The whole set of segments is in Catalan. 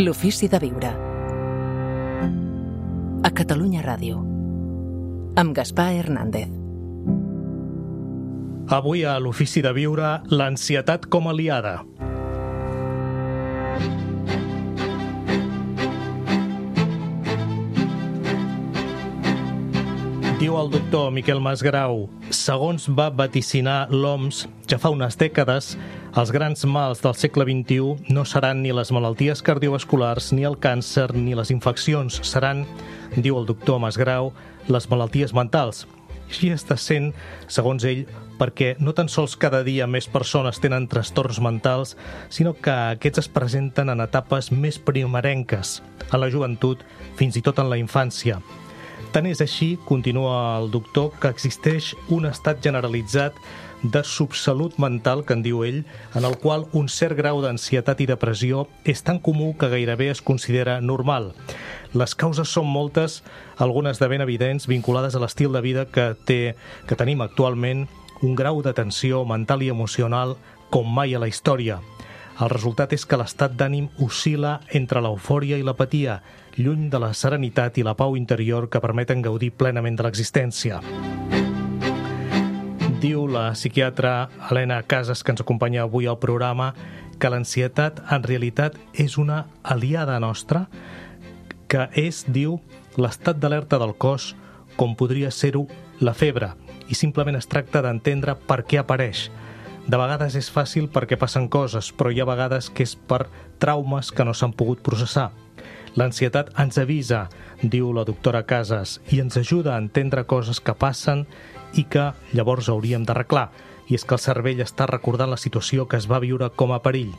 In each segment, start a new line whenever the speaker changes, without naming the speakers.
L'ofici de viure. A Catalunya Ràdio. Amb Gaspar Hernández.
Avui a l'ofici de viure, l'ansietat com a aliada. Diu el doctor Miquel Masgrau, segons va vaticinar l'OMS ja fa unes dècades, els grans mals del segle XXI no seran ni les malalties cardiovasculars, ni el càncer, ni les infeccions. Seran, diu el doctor Masgrau, les malalties mentals. Així està sent, segons ell, perquè no tan sols cada dia més persones tenen trastorns mentals, sinó que aquests es presenten en etapes més primerenques, a la joventut, fins i tot en la infància. Tant és així, continua el doctor, que existeix un estat generalitzat de subsalut mental, que en diu ell, en el qual un cert grau d'ansietat i depressió és tan comú que gairebé es considera normal. Les causes són moltes, algunes de ben evidents, vinculades a l'estil de vida que tenim actualment, un grau de tensió mental i emocional com mai a la història. El resultat és que l'estat d'ànim oscil·la entre l'eufòria i l'apatia, lluny de la serenitat i la pau interior que permeten gaudir plenament de l'existència. Diu la psiquiatra Helena Casas, que ens acompanya avui al programa, que l'ansietat en realitat és una aliada nostra, que és, diu, l'estat d'alerta del cos, com podria ser-ho la febre, i simplement es tracta d'entendre per què apareix. De vegades és fàcil perquè passen coses, però hi ha vegades que és per traumes que no s'han pogut processar. L'ansietat ens avisa, diu la doctora Casas, i ens ajuda a entendre coses que passen i que llavors hauríem d'arreglar. I és que el cervell està recordant la situació que es va viure com a perill.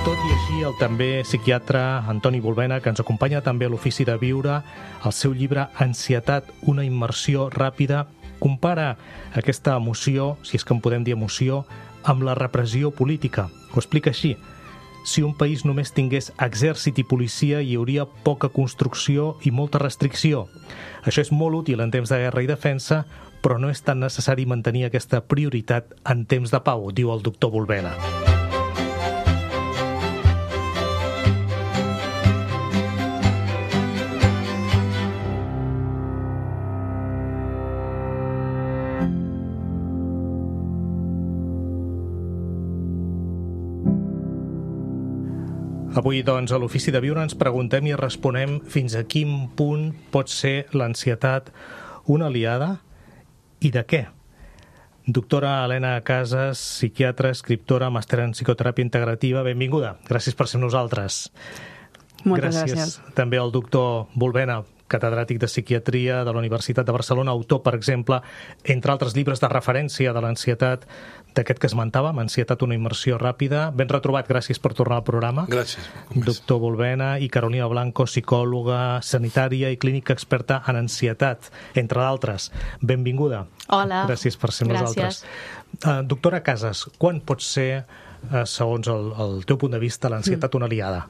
Tot i així, el també psiquiatre Antoni Bulbena, que ens acompanya també a l'ofici de viure, el seu llibre Ansietat, una immersió ràpida, compara aquesta emoció, si és que en podem dir emoció, amb la repressió política. Ho explica així. Si un país només tingués exèrcit i policia, hi hauria poca construcció i molta restricció. Això és molt útil en temps de guerra i defensa, però no és tan necessari mantenir aquesta prioritat en temps de pau, diu el doctor Bulbena. Avui, doncs, a l'ofici de viure ens preguntem i responem fins a quin punt pot ser l'ansietat una aliada i de què? Doctora Helena Casas, psiquiatra, escriptora, màster en psicoteràpia integrativa, benvinguda. Gràcies per ser amb nosaltres.
Moltes gràcies.
També al doctor Bulbena, catedràtic de psiquiatria de la Universitat de Barcelona, autor, per exemple, entre altres llibres de referència de l'ansietat, d'aquest que esmentàvem, Ansietat, una immersió ràpida. Ben retrobat, gràcies per tornar al programa.
Gràcies.
Doctor Bulbena i Carolina Blanco, psicòloga sanitària i clínica experta en ansietat, entre d'altres. Benvinguda.
Hola.
Gràcies per ser amb nosaltres. Doctora Casas, quan pot ser, segons el teu punt de vista, l'ansietat una aliada?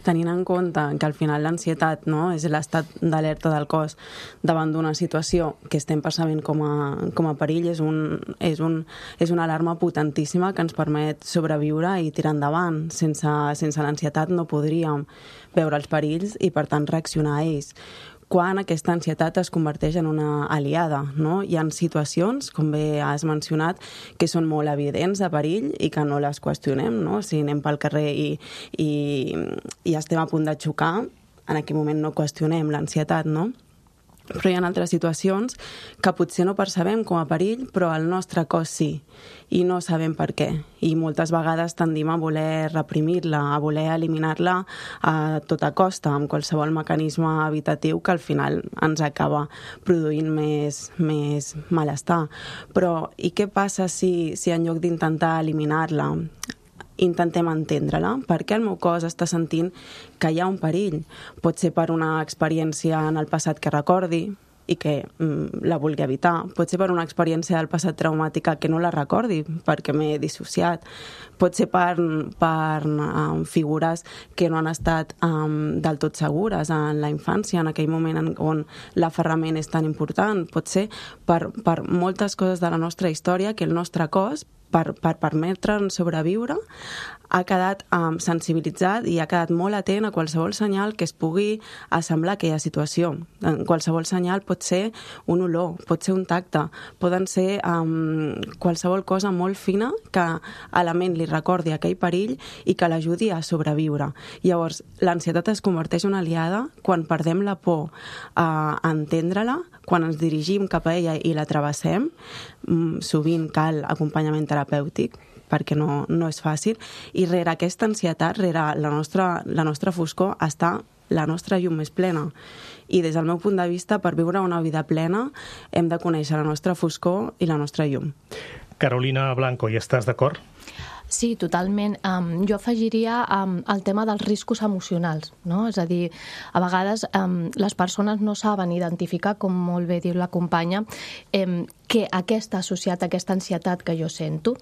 Tenint en compte que al final l'ansietat, no, és l'estat d'alerta del cos davant d'una situació que estem percebent com a perill, és una alarma potentíssima que ens permet sobreviure i tirar endavant. Sense l'ansietat no podríem veure els perills i, per tant, reaccionar a ells. Quan aquesta ansietat es converteix en una aliada, no? Hi ha situacions, com bé has mencionat, que són molt evidents de perill i que no les qüestionem, no? Si anem pel carrer i estem a punt de xocar, en aquell moment no qüestionem l'ansietat, no? Però hi ha altres situacions que potser no percebem com a perill, però el nostre cos sí, i no sabem per què. I moltes vegades tendim a voler reprimir-la, a voler eliminar-la a tota costa, amb qualsevol mecanisme evitatiu que al final ens acaba produint més malestar. Però i què passa si en lloc d'intentar eliminar-la intentem entendre-la? Per què el meu cos està sentint que hi ha un perill? Pot ser per una experiència en el passat que recordi i que la vulgui evitar. Pot ser per una experiència del passat traumàtica que no la recordi perquè m'he dissociat. Pot ser per figures que no han estat del tot segures en la infància, en aquell moment on l'aferrament és tan important. Pot ser per moltes coses de la nostra història que el nostre cos, per permetre'ns sobreviure, ha quedat sensibilitzat i ha quedat molt atent a qualsevol senyal que es pugui assemblar a aquella situació. Qualsevol senyal pot ser un olor, pot ser un tacte, poden ser qualsevol cosa molt fina que a la ment li recordi aquell perill i que l'ajudi a sobreviure. Llavors, l'ansietat es converteix en una aliada quan perdem la por a entendre-la, quan ens dirigim cap a ella i la travessem. Sovint cal acompanyament terapèutic, perquè no és fàcil, i rere aquesta ansietat, rere la nostra foscor, està la nostra llum més plena. I des del meu punt de vista, per viure una vida plena, hem de conèixer la nostra foscor i la nostra llum.
Carolina Blanco, hi estàs d'acord?
Sí, totalment. Jo afegiria el tema dels riscos emocionals, no? És a dir, a vegades les persones no saben identificar, com molt bé diu la companya, que aquesta associat a aquesta ansietat que jo sento,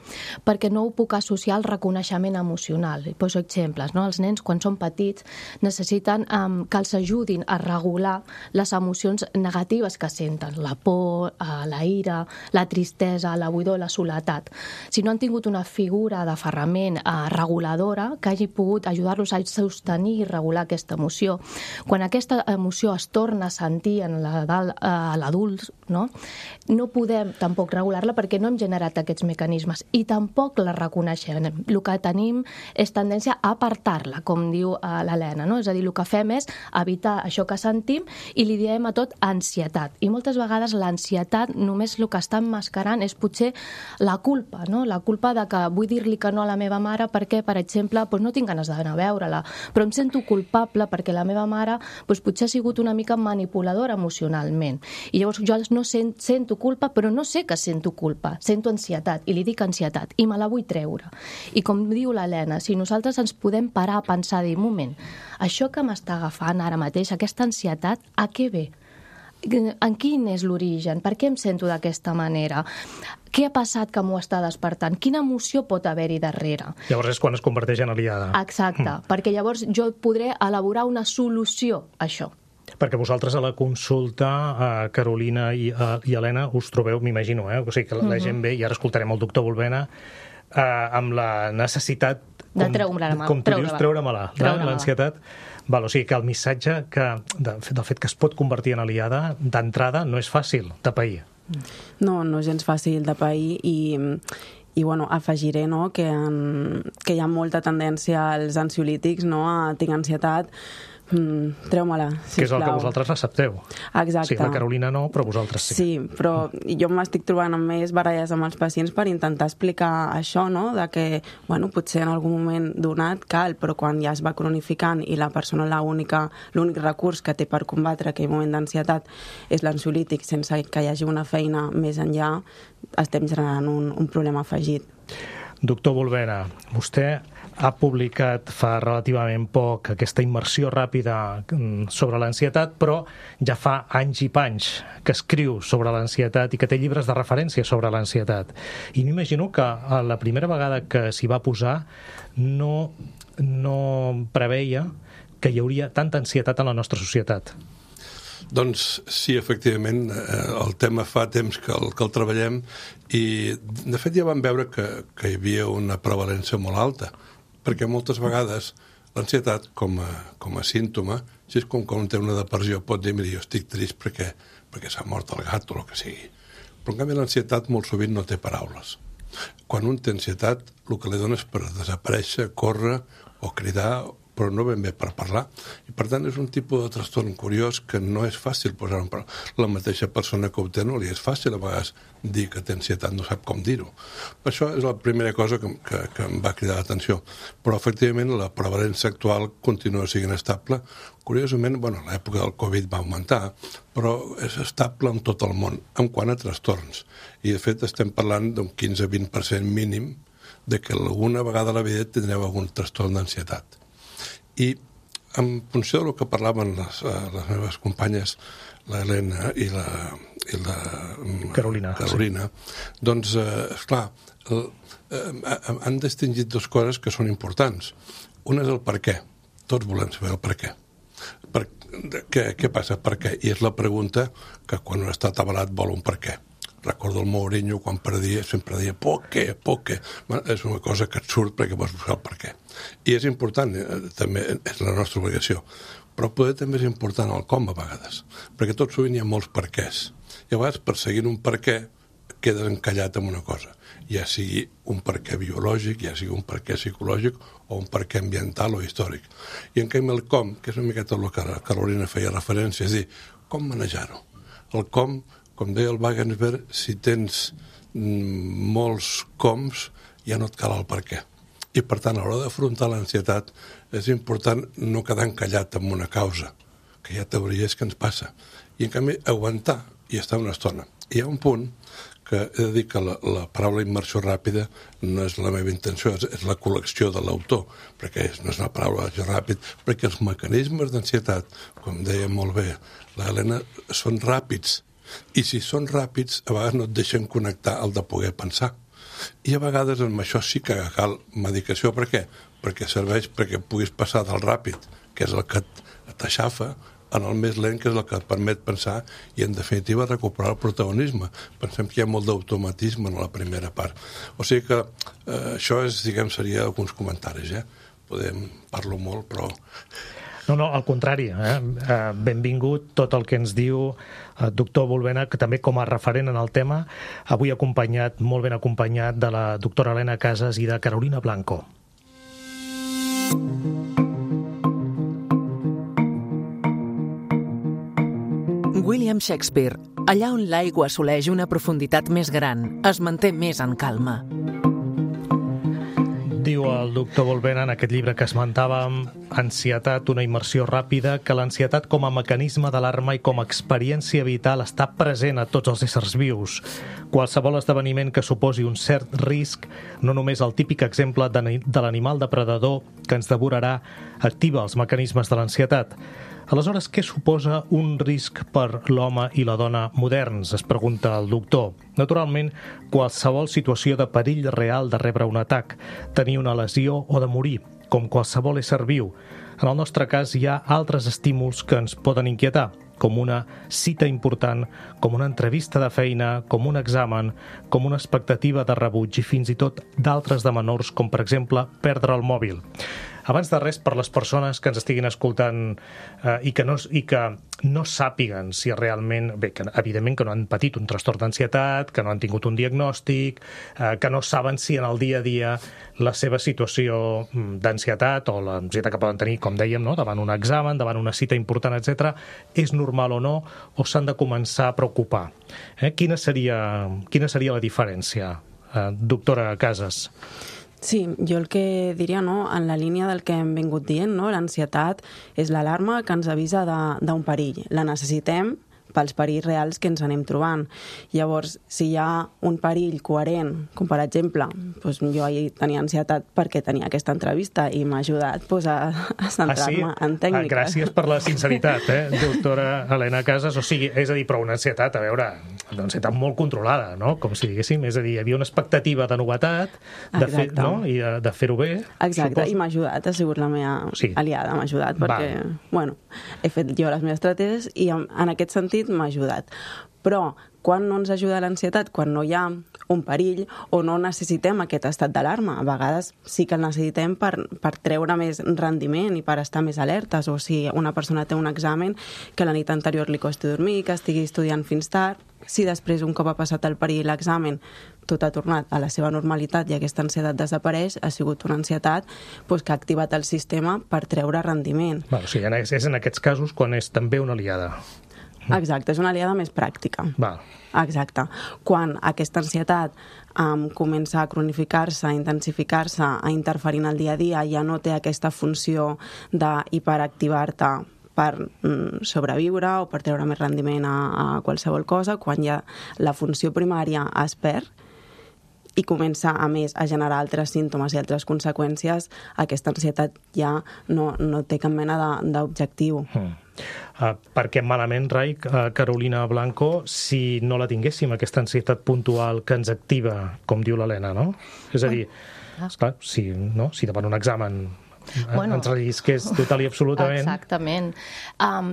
perquè no ho puc associar al reconeixement emocional. I poso exemples, no? Els nens, quan són petits, necessiten que els ajudin a regular les emocions negatives que senten, la por, la ira, la tristesa, la buidor, la soledat. Si no han tingut una figura d'aferrament reguladora que hagi pogut ajudar-los a sostenir i regular aquesta emoció, quan aquesta emoció es torna a sentir en l'adult, no podem tampoc regular-la perquè no hem generat aquests mecanismes i tampoc la reconeixem. El que tenim és tendència a apartar-la, com diu l'Helena, no? És a dir, el que fem és evitar això que sentim i li diem a tot ansietat. I moltes vegades l'ansietat només el que està emmascarant és potser la culpa, no? La culpa de que vull dir-li que no a la meva mare perquè, per exemple, no tinc ganes d'anar a veure-la, però em sento culpable perquè la meva mare potser ha sigut una mica manipuladora emocionalment. I llavors jo no sento culpa, però no sé que sento culpa, sento ansietat, i li dic ansietat, i me la vull treure. I com diu l'Helena, si nosaltres ens podem parar a pensar, dir, un moment, això que m'està agafant ara mateix, aquesta ansietat, a què ve? En quin és l'origen? Per què em sento d'aquesta manera? Què ha passat que m'ho està despertant? Quina emoció pot haver-hi darrere?
Llavors és quan es converteix en aliada.
Exacte, perquè llavors jo podré elaborar una solució a això.
Perquè vosaltres a la consulta, Carolina i Helena, us trobeu, m'imagino, o sigui que la gent ve, i ara escoltarem el doctor Volvena, amb la necessitat, com tu dius, treure-me-la, l'ansietat. O sigui que el missatge del fet que es pot convertir en aliada, d'entrada, no és fàcil de pair.
No és gens fàcil de pair i bueno, afegiré que hi ha molta tendència als ansiolítics a tinc ansietat, treu-me-la, sisplau.
Que és el que vosaltres accepteu.
Exacte.
Sí, la Carolina no, però vosaltres sí.
Sí, però jo m'estic trobant amb més baralles amb els pacients per intentar explicar això, de que, potser en algun moment donat cal, però quan ja es va cronificant i la persona l'únic recurs que té per combatre aquell moment d'ansietat és l'ansiolític sense que hi hagi una feina més enllà, estem generant un problema afegit.
Doctor Volvena, vostè ha publicat fa relativament poc aquesta immersió ràpida sobre l'ansietat, però ja fa anys i panys que escriu sobre l'ansietat i que té llibres de referència sobre l'ansietat. I m'imagino que la primera vegada que s'hi va posar no preveia que hi hauria tanta ansietat en la nostra societat.
Doncs sí, efectivament, el tema fa temps que el treballem i, de fet, ja vam veure que hi havia una prevalència molt alta, perquè moltes vegades l'ansietat com a símptoma, si és com quan té una depressió, pot dir, mira, jo estic trist perquè s'ha mort el gat o el que sigui. Però en canvi l'ansietat molt sovint no té paraules. Quan un té ansietat, el que li dona és per desaparèixer, córrer o cridar, però no ben bé per parlar. I per tant és un tipus de trastorn curiós que no és fàcil posar en parlar. La mateixa persona que ho té no li és fàcil a vegades dir que té ansietat, no sap com dir-ho. Per això és la primera cosa que em va cridar l'atenció. Però efectivament la prevalència actual continua sent estable. Curiosament, a l'època del Covid va augmentar, però és estable en tot el món, en quant a trastorns. I de fet estem parlant d'un 15-20% mínim de que alguna vegada a la vida tindreu algun trastorn d'ansietat. I en funció del que parlaven les meves companyes, la Helena i la
Carolina,
doncs, esclar, han distingit dues coses que són importants. Una és el per què. Tots volem saber el per què. Què passa? Per què? I és la pregunta que quan un està atabalat vol un per què. Recordo el Mourinho, quan perdia, sempre deia ¿por qué? Bueno, és una cosa que et surt perquè vols buscar el per què. I és important, també és la nostra obligació. Però poder també és important el com a vegades, perquè tot sovint hi ha molts perquès. I a vegades, perseguint un per què, quedes encallat en una cosa, ja sigui un perquè biològic, ja sigui un perquè psicològic o un perquè ambiental o històric. I en canvi el com, que és una miqueta el que la Carolina feia referència, és dir, com manejar-ho. El com deia el Wagensberg, si tens molts coms, ja no et cal el per què. I, per tant, a l'hora d'afrontar l'ansietat és important no quedar encallat en una causa, que ja teories que ens passa. I, en canvi, aguantar i estar una estona. Hi ha un punt que he de dir que la paraula immersió ràpida no és la meva intenció, és la col·lecció de l'autor, perquè no és una paraula ràpid, perquè els mecanismes d'ansietat, com deia molt bé l'Helena, són ràpids. I si són ràpids, a vegades no et deixen connectar el de poder pensar. I a vegades amb això sí que cal medicació. Per què? Perquè serveix perquè puguis passar del ràpid, que és el que t'aixafa, en el més lent, que és el que et permet pensar i, en definitiva, recuperar el protagonisme. Pensem que hi ha molt d'automatisme en la primera part. O sigui que això és, seria alguns comentaris, parlo molt, però...
No, al contrari. Benvingut tot el que ens diu doctor Bulbena, que també com a referent en el tema, avui molt ben acompanyat de la doctora Helena Casas i de Carolina Blanco.
William Shakespeare, allà on l'aigua assoleix una profunditat més gran, es manté més en calma.
Diu el doctor Bulbena en aquest llibre que esmentàvem, Ansietat, una immersió ràpida, que l'ansietat com a mecanisme d'alarma i com a experiència vital està present a tots els éssers vius. Qualsevol esdeveniment que suposi un cert risc, no només el típic exemple de l'animal depredador que ens devorarà, activa els mecanismes de l'ansietat. Aleshores, què suposa un risc per l'home i la dona moderns? Es pregunta el doctor. Naturalment, qualsevol situació de perill real de rebre un atac, tenir una lesió o de morir, com qualsevol ésser viu. En el nostre cas, hi ha altres estímuls que ens poden inquietar, com una cita important, com una entrevista de feina, com un examen, com una expectativa de rebuig i fins i tot d'altres de menors, com per exemple perdre el mòbil. Abans de res, per les persones que ens estiguin escoltant i que no sàpiguen si realment... Bé, que evidentment que no han patit un trastorn d'ansietat, que no han tingut un diagnòstic, que no saben si en el dia a dia la seva situació d'ansietat o l'ansietat que poden tenir, com dèiem, no? Davant un examen, davant una cita important, etc., és normal o no, o s'han de començar a preocupar. Quina seria la diferència, doctora Casas?
Sí, jo el que diria, en la línia del que hem vingut dient, l'ansietat és l'alarma que ens avisa d'un perill. La necessitem pels perills reals que ens anem trobant. Llavors, si hi ha un perill coherent, com per exemple, jo ahir tenia ansietat perquè tenia aquesta entrevista i m'ha ajudat a centrar-me en tècniques.
Gràcies per la sinceritat, doctora Helena Casas. O sigui, és a dir, però una ansietat, a veure, una ansietat molt controlada, no? Com si diguéssim, és a dir, hi havia una expectativa de novetat, i de fer-ho bé.
Exacte, i m'ha ajudat, ha sigut la meva aliada, m'ha ajudat, perquè, he fet jo les meves estratègies i en aquest sentit m'ha ajudat. Però quan no ens ajuda l'ansietat? Quan no hi ha un perill o no necessitem aquest estat d'alarma. A vegades sí que el necessitem per treure més rendiment i per estar més alertes. O si una persona té un examen que la nit anterior li costi dormir, que estigui estudiant fins tard, si després, un cop ha passat el perill i l'examen, tot ha tornat a la seva normalitat i aquesta ansietat desapareix, ha sigut una ansietat que ha activat el sistema per treure rendiment.
O sigui, és en aquests casos quan és també una aliada.
Exacte, és una aliada més pràctica. Exacte. Quan aquesta ansietat comença a cronificar-se, a intensificar-se, a interferir en el dia a dia, ja no té aquesta funció d'hiperactivar-te per sobreviure o per treure més rendiment a qualsevol cosa, quan ja la funció primària es perd i comença, a més, a generar altres símptomes i altres conseqüències, aquesta ansietat ja no té cap mena d'objectiu.
Perquè malament, Rai, Carolina Blanco, si no la tinguéssim, aquesta ansietat puntual que ens activa, com diu l'Helena, no? És a dir, esclar, si davant un examen Bueno, ens rellisqués total i absolutament.
Exactament.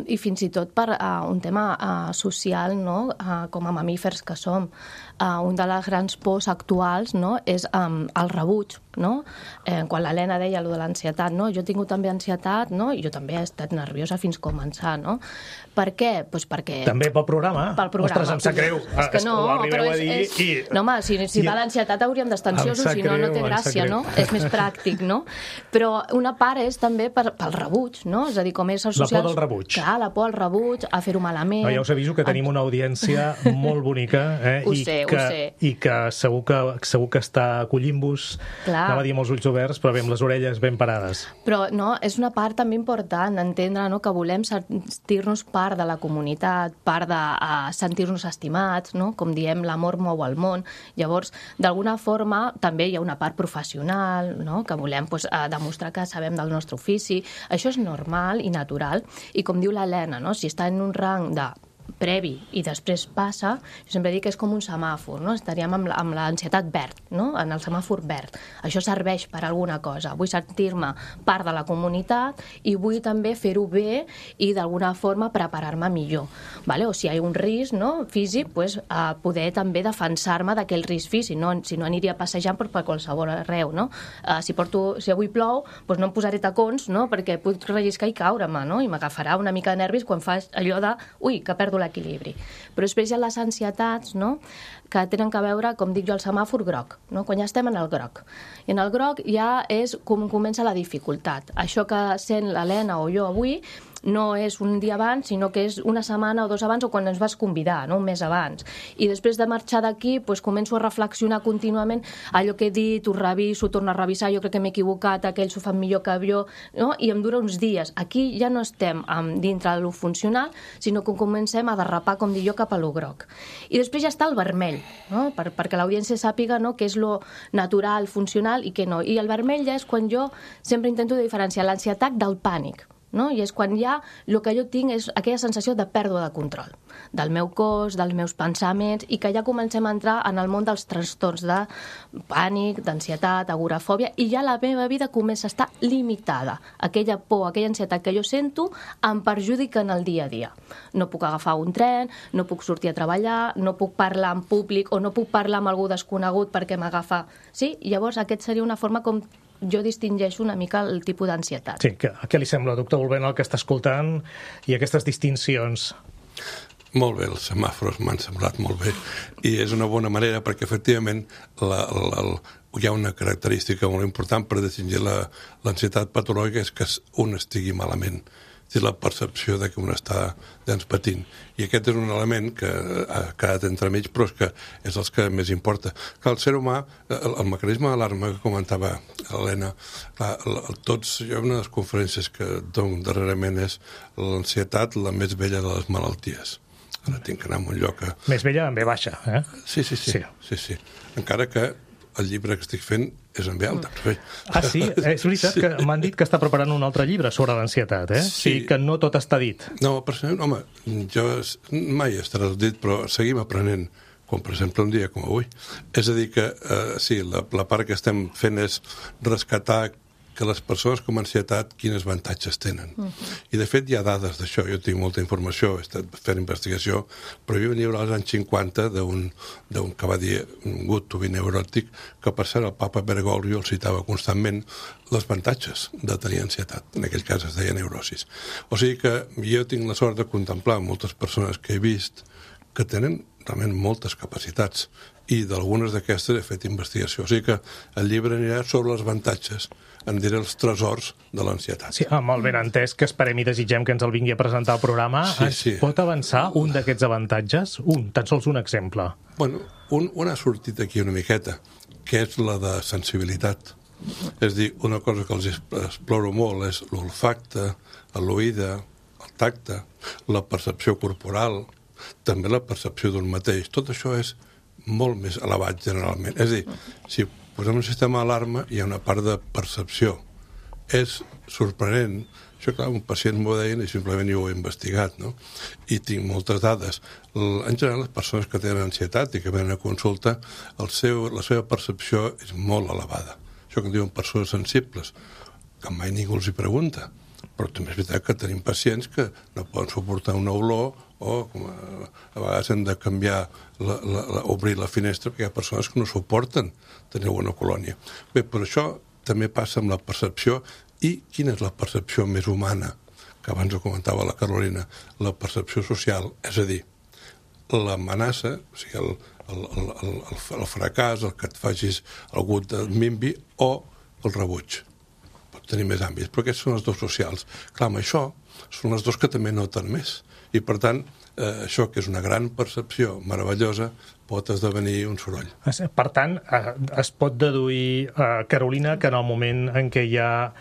I fins i tot per un tema social, no? Com a mamífers que som. Un de les grans pors actuals, no? És el rebuig, no? Quan l'Helena deia allò de l'ansietat, no? Jo he tingut també ansietat, no? I jo també he estat nerviosa fins començar, no? Per què? Pues perquè...
També pel programa?
Pel programa.
Ostres, em sap greu.
És que no, però no, home, si va l'ansietat hauríem d'estar ansiosos, si no, no té gràcia, no? És més pràctic, no? Però una part és també pel rebuig, no? És a dir, com éssers socials...
La por del rebuig.
Clar, la por al rebuig, a fer-ho malament...
No, ja us aviso que tenim una audiència molt bonica,
Ho sé.
I que segur que està acollint-vos, anava a dir amb els ulls oberts, però bé, amb les orelles ben parades.
Però no, és una part també important, entendre, no?, que volem sentir-nos part de la comunitat, part de sentir-nos estimats, no? Com diem, l'amor mou el món. Llavors, d'alguna forma, també hi ha una part professional, no?, que volem demostrar que sabem del nostre ofici. Això és normal i natural. I com diu l'Helena, no?, si està en un rang de previ i després passa, jo sempre dic que és com un semàfor, no? Estaríem amb l'ansietat verd, no? En el semàfor verd. Això serveix per alguna cosa. Vull sentir-me part de la comunitat i vull també fer-ho bé i d'alguna forma preparar-me millor. Vale? O si hi ha un risc, no?, físic, pues, poder també defensar-me d'aquell risc físic. Si no aniria passejant per qualsevol arreu, no? Si avui plou, pues no em posaré tacons, no?, perquè puc relliscar i caure-me, no? I m'agafarà una mica de nervis quan faig allò de que perdo l'equilibri. Però després hi ha les ansietats, no?, que tenen que veure, com dic jo, el semàfor groc, no?, quan ja estem en el groc. I en el groc ja és com comença la dificultat. Això que sent l'Helena o jo avui no és un dia abans, sinó que és una setmana o dos abans o quan ens vas convidar, no?, un mes abans. I després de marxar d'aquí, pues, començo a reflexionar contínuament allò que he dit, ho reviso, ho torno a revisar, jo crec que m'he equivocat, aquells ho fan millor que jo, no?, i em dura uns dies. Aquí ja no estem dintre de lo funcional, sinó que comencem a derrapar, com dic jo, cap a lo groc. I després ja està el vermell, no?, perquè l'audiència sàpiga, no?, què és lo natural, funcional i què no. I el vermell ja és quan jo sempre intento diferenciar l'ansietat del pànic, no? I és quan ja el que jo tinc és aquella sensació de pèrdua de control del meu cos, dels meus pensaments, i que ja comencem a entrar en el món dels trastorns de pànic, d'ansietat, agorafòbia, i ja la meva vida comença a estar limitada. Aquella por, aquella ansietat que jo sento em perjudica en el dia a dia. No puc agafar un tren, no puc sortir a treballar, no puc parlar en públic o no puc parlar amb algú desconegut perquè m'agafa... Sí? Llavors aquest seria una forma com jo distingeixo una mica el tipus d'ansietat.
Sí, què li sembla, doctor Volvent, el que està escoltant i aquestes distincions?
Molt bé, els semàfors m'han semblat molt bé i és una bona manera perquè efectivament hi ha una característica molt important per distingir l'ansietat patològica, és que un estigui malament, és la percepció de que un està patint. I aquest és un element que ha quedat entremig, però és que és el que més importa. Que el ser humà, el mecanisme d'alarma que comentava l'Helena, jo una de les conferències que dono darrerament és l'ansietat la més vella de les malalties. Ara tinc que anar a un lloc que...
Més vella en ve baixa, eh?
Sí. Encara que el llibre que estic fent és en ve alta.
Ah, sí? És veritat que m'han dit que està preparant un altre llibre sobre l'ansietat, eh? Sí. Que no tot està dit.
No, personalment, home, jo mai estarà dit, però seguim aprenent, com per exemple un dia com avui. És a dir que, sí, la part que estem fent és rescatar que les persones com a ansietat quins avantatges tenen. I de fet hi ha dades d'això, jo tinc molta informació, he estat fent investigació, però hi havia un llibre als anys 50 d'un que va dir Good to be neurotic, que per cert el papa Bergoglio el citava constantment els avantatges de tenir ansietat, en aquell cas es deia neurosis. O sigui que jo tinc la sort de contemplar moltes persones que he vist que tenen realment moltes capacitats i d'algunes d'aquestes he fet investigació. O sigui que el llibre anirà sobre els avantatges, en diré els tresors de l'ansietat.
Sí, amb el benentès que esperem i desitgem que ens el vingui a presentar al programa, sí. Pot avançar un d'aquests avantatges? Tan sols un exemple.
Bueno, un ha sortit aquí una miqueta, que és la de sensibilitat. És dir, una cosa que els exploro molt és l'olfacte, l'oïda, el tacte, la percepció corporal, també la percepció d'un mateix. Tot això és molt més elevat generalment. És a dir, si posem un sistema d'alarma hi ha una part de percepció. És sorprenent. Això, clar, un pacient m'ho deien i simplement jo ho he investigat, no? I tinc moltes dades. En general, les persones que tenen ansietat i que venen a consulta, la seva percepció és molt elevada. Això que en diuen persones sensibles. que mai ningú els hi pregunta. Però també és veritat que tenim pacients que no poden suportar una olor o a vegades hem de canviar, obrir la finestra, perquè hi ha persones que no suporten tenir una colònia. Bé, però això també passa amb la percepció. I quina és la percepció més humana? Que abans ho comentava la Carolina, la percepció social, és a dir, l'amenaça, o sigui, el fracàs, el que et facis algú et minvi, o el rebuig. Pot tenir més àmbits, però aquests són els dos socials. Clar, amb això són els dos que també noten més. I, per tant, això, que és una gran percepció meravellosa, pot esdevenir un soroll.
Per tant, es pot deduir, Carolina, que en el moment en què hi ha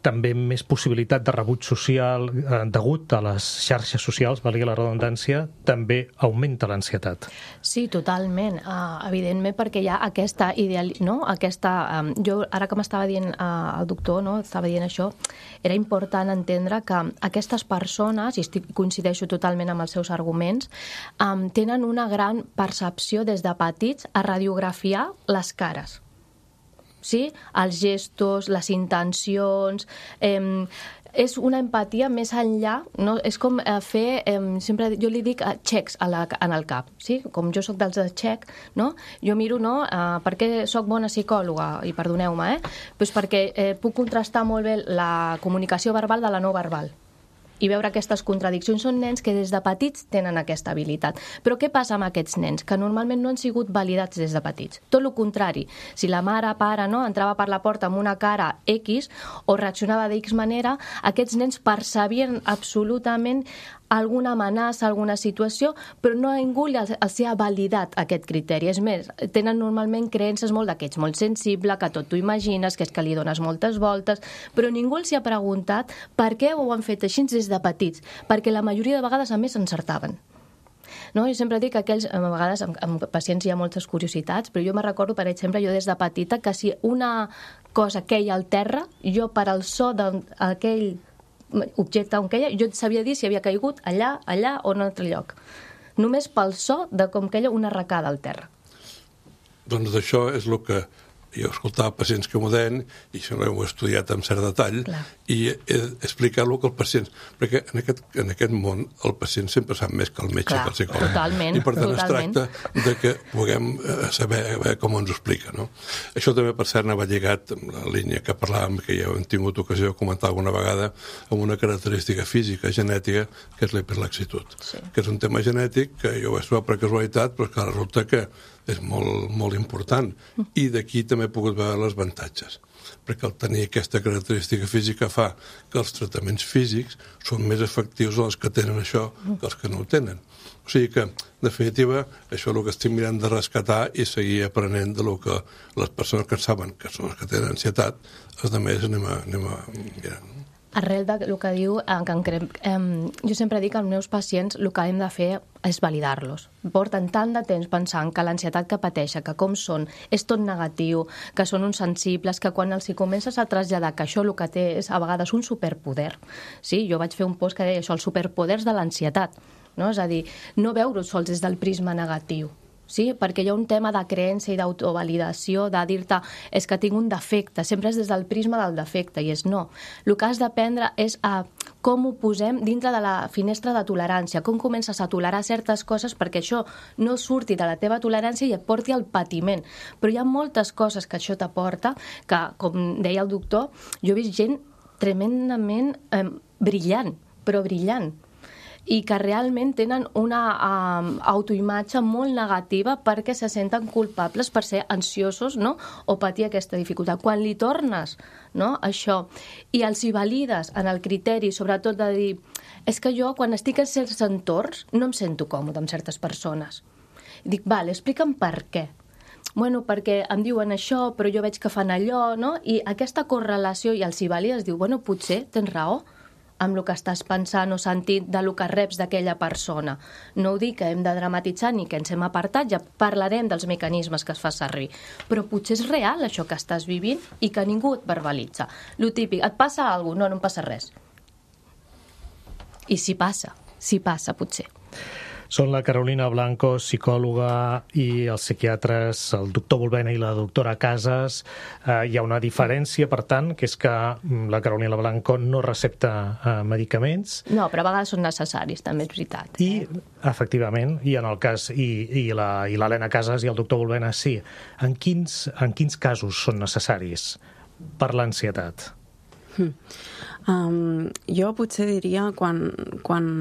també més possibilitat de rebuig social degut a les xarxes socials, valgui la redundància, també augmenta l'ansietat.
Sí, totalment. Evidentment, perquè hi ha aquesta jo, ara que m'estava dient el doctor, estava dient això, era important entendre que aquestes persones, i coincideixo totalment amb els seus arguments, tenen una gran percepció des de petits a radiografiar les cares. Sí? Els gestos, les intencions... és una empatia més enllà, no? És com fer, sempre jo li dic xecs en el cap, sí? Com jo sóc dels de xec, no? Jo miro, per què sóc bona psicòloga, i perdoneu-me, doncs perquè puc contrastar molt bé la comunicació verbal de la no verbal i veure aquestes contradiccions. Són nens que des de petits tenen aquesta habilitat. Però què passa amb aquests nens? Que normalment no han sigut validats des de petits. Tot el contrari. Si la mare, pare, entrava per la porta amb una cara X o reaccionava d'X manera, aquests nens percebien absolutament alguna amenaça, alguna situació, però no ningú els ha validat aquest criteri. És més, tenen normalment creences molt que ets molt sensible, que tot t'ho imagines, que és que li dones moltes voltes, però ningú els ha preguntat per què ho han fet així des de petits, perquè la majoria de vegades a més encertaven. No? Jo sempre dic que a vegades amb pacients hi ha moltes curiositats, però jo me recordo, per exemple, jo des de petita, que si una cosa queia al terra, jo per al so d'aquell objecte on queia, jo et sabia dir si havia caigut allà o en un altre lloc. Només pel so de com queia una arracada al terra.
Doncs d'això és el que jo escoltava pacients que m'ho deien, i això ho he estudiat amb cert detall,
clar,
i he explicat el que els pacients... Perquè en aquest món el pacient sempre sap més que el metge,
clar,
que el psicòleg.
Totalment,
I per tant
totalment.
Es tracta de que puguem saber com ens ho explica. No? Això també, per cert, anava lligat amb la línia que parlàvem, que ja hem tingut ocasió de comentar alguna vegada, amb una característica física, genètica, que és l'hiperlaxitud.
Sí.
Que és un tema genètic que jo ho vaig trobar per casualitat, però que resulta que és molt, molt important. I d'aquí també he pogut veure els avantatges, perquè el tenir aquesta característica física fa que els tractaments físics són més efectius els que tenen això que els que no ho tenen. O sigui que, en definitiva, això és el que estic mirant de rescatar i seguir aprenent de lo que les persones que saben que són els que tenen ansietat, els altres anem a mirar.
Arrel del que diu, jo sempre dic als meus pacients el que hem de fer és validar-los. Porten tant de temps pensant que l'ansietat que pateixen, que com són, és tot negatiu, que són uns sensibles, que quan els hi comences a traslladar que això el que té és a vegades un superpoder. Sí? Jo vaig fer un post que deia això, els superpoders de l'ansietat. No? És a dir, no veure-ho sols des del prisma negatiu. Sí? Perquè hi ha un tema de creença i d'autovalidació, de dir-te és que tinc un defecte, sempre és des del prisma del defecte, i és no. El que has d'aprendre és a com ho posem dintre de la finestra de tolerància, com comences a tolerar certes coses perquè això no surti de la teva tolerància i et porti al patiment. Però hi ha moltes coses que això t'aporta, que, com deia el doctor, jo he vist gent tremendament brillant, però brillant, i que realment tenen una autoimatge molt negativa perquè se senten culpables per ser ansiosos, no? O patir aquesta dificultat. Quan li tornes, no? Això, i els hi valides en el criteri, sobretot de dir és que jo quan estic en certs entorns no em sento còmode amb certes persones. I dic, vale, explica'm per què. Bueno, perquè em diuen això, però jo veig que fan allò, no? I aquesta correlació i els hi valides, diu, bueno, potser tens raó amb el que estàs pensant o sentint de lo que reps d'aquella persona. No ho dic que hem de dramatitzar ni que ens hem apartat, ja parlarem dels mecanismes que es fa servir. Però potser és real això que estàs vivint i que ningú et verbalitza. Lo típic, et passa alguna cosa? No, no em passa res. I si passa potser.
Són la Carolina Blanco, psicòloga, i els psiquiatres, el doctor Volbena i la doctora Casas. Hi ha una diferència, per tant, que és que la Carolina Blanco no recepta medicaments.
No, però a vegades són necessaris, també és veritat.
I, efectivament, i en el cas i l'Helena Casas i el doctor Volbena sí. En quins casos són necessaris per l'ansietat?
Jo potser diria quan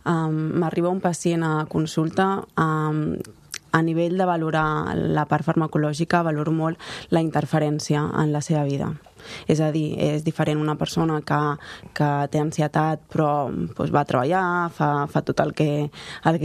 m'arriba un pacient a consulta, a nivell de valorar la part farmacològica, valoro molt la interferència en la seva vida. És a dir, és diferent una persona que té ansietat però va a treballar, fa tot el que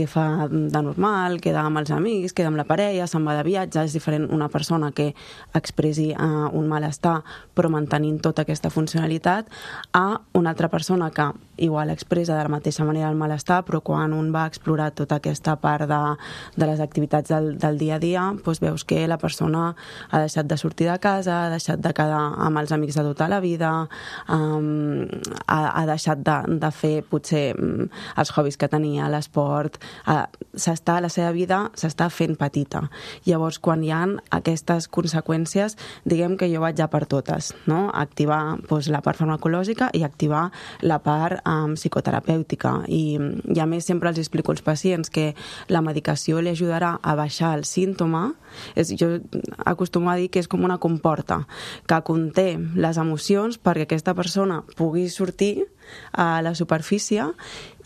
fa de normal, queda amb els amics, queda amb la parella, se'n va de viatge. És diferent una persona que expressi un malestar però mantenint tota aquesta funcionalitat a una altra persona que igual expressa de la mateixa manera el malestar, però quan un va explorar tota aquesta part de les activitats del dia a dia, veus que la persona ha deixat de sortir de casa, ha deixat de quedar amb els amics de tota la vida, ha deixat de fer potser els hobbies que tenia, l'esport, la seva vida s'està fent petita. Llavors, quan hi ha aquestes conseqüències, diguem que jo vaig ja per totes, no? Activar la part farmacològica i activar la part psicoterapèutica. I a més sempre els explico als pacients que la medicació li ajudarà a baixar el símptoma. Jo acostumo a dir que és com una comporta que conté les emocions perquè aquesta persona pugui sortir a la superfície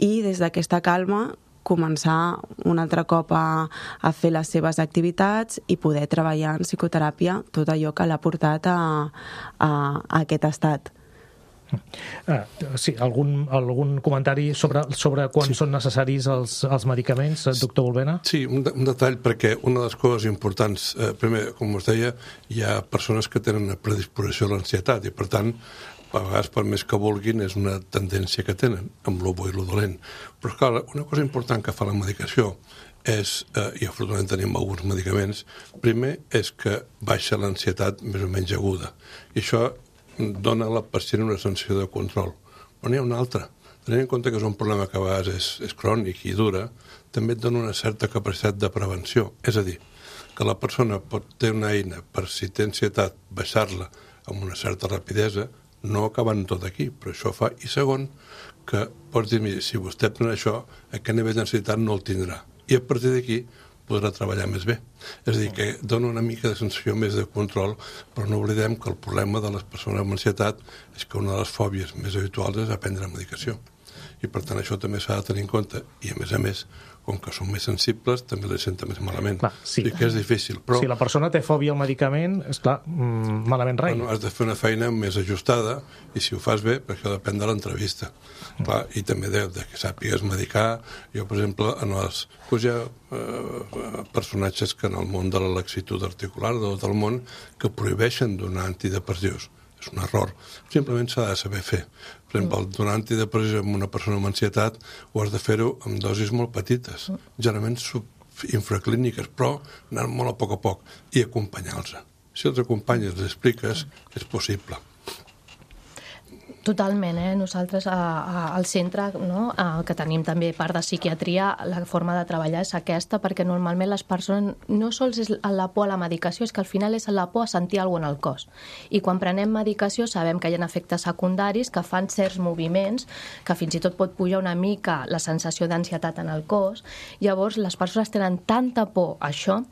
i des d'aquesta calma començar un altre cop a fer les seves activitats i poder treballar en psicoteràpia tot allò que l'ha portat a aquest estat.
Sí, algun comentari sobre quan són necessaris els medicaments, doctor Volbena?
Sí, un detall, perquè una de les coses importants, primer, com us deia, hi ha persones que tenen una predisposició a l'ansietat i, per tant, a vegades, per més que vulguin, és una tendència que tenen, amb lo bo i lo dolent. Però, clar, una cosa important que fa la medicació és, i afortunadament tenim alguns medicaments, primer és que baixa l'ansietat més o menys aguda. I això dona a la pacient una sensació de control. Però n'hi ha una altra. Tenint en compte que és un problema que a vegades és crònic i dura, també et dona una certa capacitat de prevenció. És a dir, que la persona pot tenir una eina per, si té ansietat, baixar-la amb una certa rapidesa, no acabant tot aquí, però això fa. I segon, que pots dir, mira, si vostè pren això, aquest nivell d'ansietat no el tindrà. I a partir d'aquí podrà treballar més bé. És a dir, que dona una mica de sensació més de control, però no oblidem que el problema de les persones amb ansietat és que una de les fòbies més habituals és aprendre medicació. I per tant això també s'ha de tenir en compte. I a més, com que són més sensibles, també les senten més malament.
Clar, sí.
I que és difícil. Però
si la persona té fòbia al medicament, esclar, malament rai.
Bueno, has de fer una feina més ajustada i si ho fas bé, perquè això depèn de l'entrevista. Clar, i també de que sàpigues medicar. Jo, per exemple, hi ha personatges que en el món de la laxitud articular de tot el món que prohibeixen donar antidepressius. És un error. Simplement s'ha de saber fer. Per exemple, donar antidepressius a una persona amb ansietat ho has de fer-ho amb dosis molt petites, generalment infraclíniques, però anar molt a poc i acompanyar-los. Si els acompanyes, els expliques, és possible.
Totalment, nosaltres al centre, no, que tenim també part de psiquiatria, la forma de treballar és aquesta, perquè normalment les persones no sols és la por a la medicació, és que al final és la por a sentir alguna cosa al cos. I quan prenem medicació sabem que hi ha efectes secundaris que fan certs moviments, que fins i tot pot pujar una mica la sensació d'ansietat en el cos. Llavors les persones tenen tanta por a això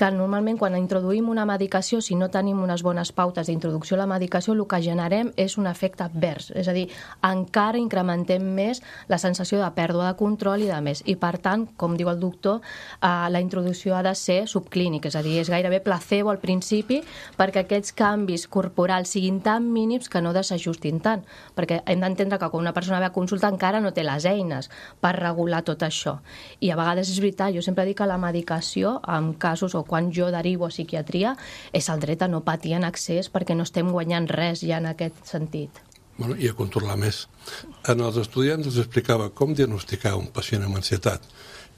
que normalment quan introduïm una medicació, si no tenim unes bones pautes d'introducció a la medicació, el que generem és un efecte advers. És a dir, encara incrementem més la sensació de pèrdua de control i de més. I per tant, com diu el doctor, la introducció ha de ser subclínica, és a dir, és gairebé placebo al principi perquè aquests canvis corporals siguin tan mínims que no desajustin tant. Perquè hem d'entendre que quan una persona ve a consulta encara no té les eines per regular tot això. I a vegades és veritat, jo sempre dic que la medicació, en casos o quan jo derivo a psiquiatria, és el dret a no patir en excés perquè no estem guanyant res ja en aquest sentit.
Bueno, i a controlar més. En els estudiants els explicava com diagnosticar un pacient amb ansietat.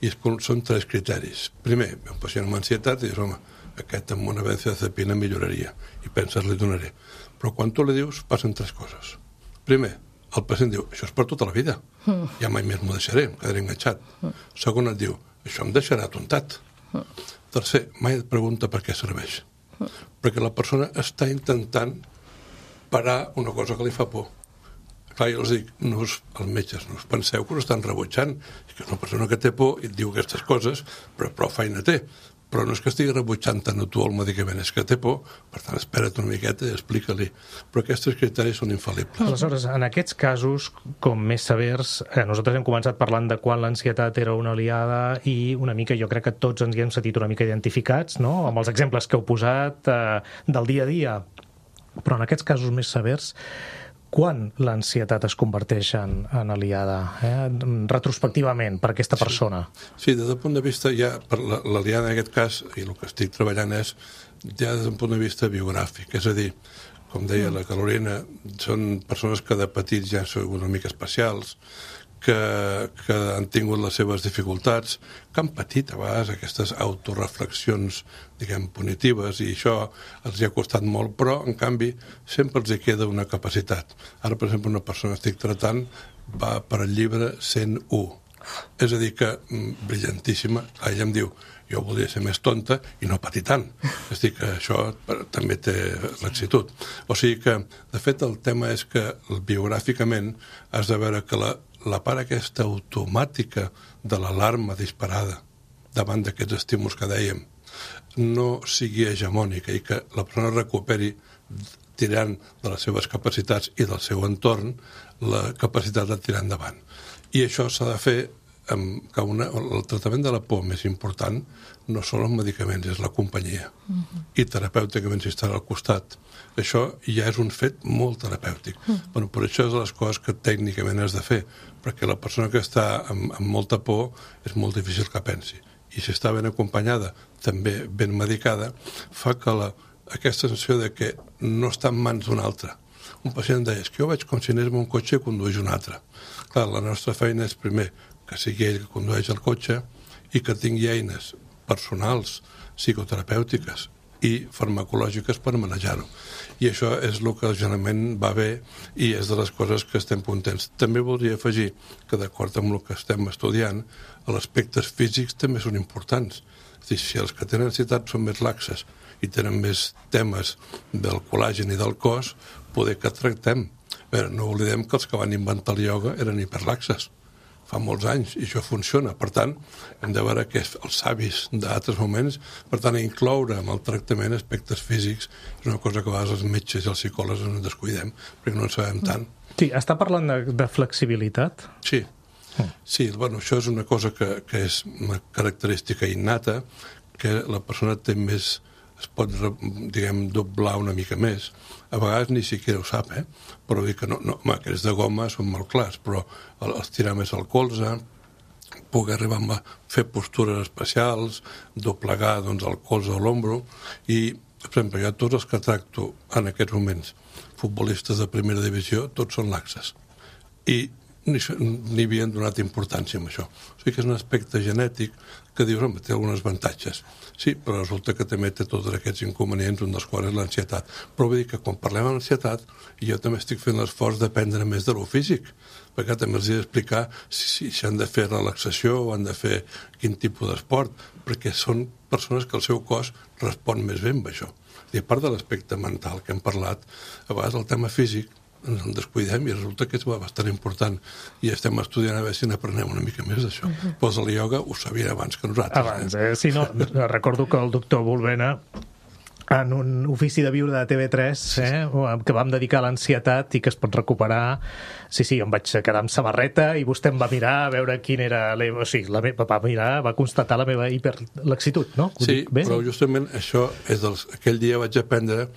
I són 3 criteris. Primer, un pacient amb ansietat, i dius, home, aquest amb una benzodiazepina milloraria. I penses, li donaré. Però quan tu li dius, passen 3 coses. Primer, el pacient diu, això és per tota la vida. Ja mai més m'ho deixaré, em quedaré enganxat. Segon, et diu, això em deixarà atontat. Tercer, mai et pregunta per què serveix. Perquè la persona està intentant parar una cosa que li fa por. Clar, jo els dic, els metges, no us penseu que us estan rebutjant. És que és una persona que té por i et diu aquestes coses, però prou feina té. Però no és que estigui rebutjant tant a tu el medicament, és que té por, per tant, espera't una miqueta i explica-li. Però aquests criteris són infal·libles.
Aleshores, en aquests casos, com més severs, nosaltres hem començat parlant de quan l'ansietat era una aliada i una mica, jo crec que tots ens hi hem sentit una mica identificats, no?, amb els exemples que heu posat del dia a dia. Però en aquests casos més severs, quan l'ansietat es converteix en aliada, retrospectivament, per aquesta persona?
Sí, des del punt de vista, ja per l'aliada en aquest cas, i el que estic treballant és ja des d'un punt de vista biogràfic, és a dir, com deia la Carolina, són persones que de petits ja són una mica especials, que han tingut les seves dificultats, que han patit a vegades aquestes autoreflexions, diguem, punitives, i això els hi ha costat molt, però, en canvi, sempre els hi queda una capacitat. Ara, per exemple, una persona que estic tratant va per al llibre 101. És a dir, que brillantíssima. Ella em diu, jo voldria ser més tonta i no patir tant. És a dir, que això també té laxitud. O sigui que, de fet, el tema és que biogràficament has de veure que la part aquesta automàtica de l'alarma disparada davant d'aquests estímuls que dèiem no sigui hegemònica i que la persona recuperi tirant de les seves capacitats i del seu entorn la capacitat de tirar endavant. I això s'ha de fer que el tractament de la por més important no són els medicaments, és la companyia. I terapèuticament si estarà al costat. Això ja és un fet molt terapèutic. Bueno, per això és de les coses que tècnicament has de fer, perquè la persona que està amb molta por és molt difícil que pensi. I si està ben acompanyada, també ben medicada, fa que aquesta sensació de que no està en mans d'un altre. Un pacient deia, és que jo veig com si anés en un cotxe i condueix un altre. Clar, la nostra feina és primer que sigui ell que condueix el cotxe i que tingui eines personals, psicoterapèutiques i farmacològiques per manejar-ho. I això és el que generalment va bé i és de les coses que estem contents. També voldria afegir que, d'acord amb el que estem estudiant, els aspectes físics també són importants. És a dir, si els que tenen ansietat són més laxes i tenen més temes del col·làgen i del cos, poder que tractem. A veure, no oblidem que els que van inventar el ioga eren hiperlaxes fa molts anys, i això funciona. Per tant, hem de veure que els savis d'altres moments, per tant, incloure en el tractament aspectes físics és una cosa que a vegades els metges i els psicòlegs ens descuidem, perquè no en sabem tant.
Sí, està parlant de flexibilitat?
Sí. Sí, bueno, això és una cosa que és una característica innata, que la persona té més, es pot, diguem, doblar una mica més. A vegades ni siquiera ho sap, però dir que no, home, que és de goma són molt clars, però els tirar més al colze, poder arribar a fer postures especials, doblegar doncs, el colze o l'ombro, i, per exemple, jo tots els que tracto en aquests moments, futbolistes de primera divisió, tots són laxes. I ni havien donat importància a això. O sigui que és un aspecte genètic que dius, home, té alguns avantatges. Sí, però resulta que també té tots aquests inconvenients, un dels quals és l'ansietat. Però vull dir que quan parlem d'ansietat, jo també estic fent l'esforç d'aprendre més de lo físic, perquè també els he d'explicar si han de fer relaxació o han de fer quin tipus d'esport, perquè són persones que el seu cos respon més bé amb això. I a part de l'aspecte mental que hem parlat, a vegades el tema físic ens en descuidem i resulta que és bastant important i estem estudiant a veure si n'aprenem una mica més d'això. Però el ioga ho sabia abans que nosaltres.
Abans, sí, no, recordo que el doctor Volvena en un ofici de viure de TV3 que vam dedicar a l'ansietat i que es pot recuperar, sí, em vaig quedar amb samarreta i vostè em va mirar a veure quin era va constatar la meva hiperlaxitud, no?
Sí, però justament això és aquell dia vaig aprendre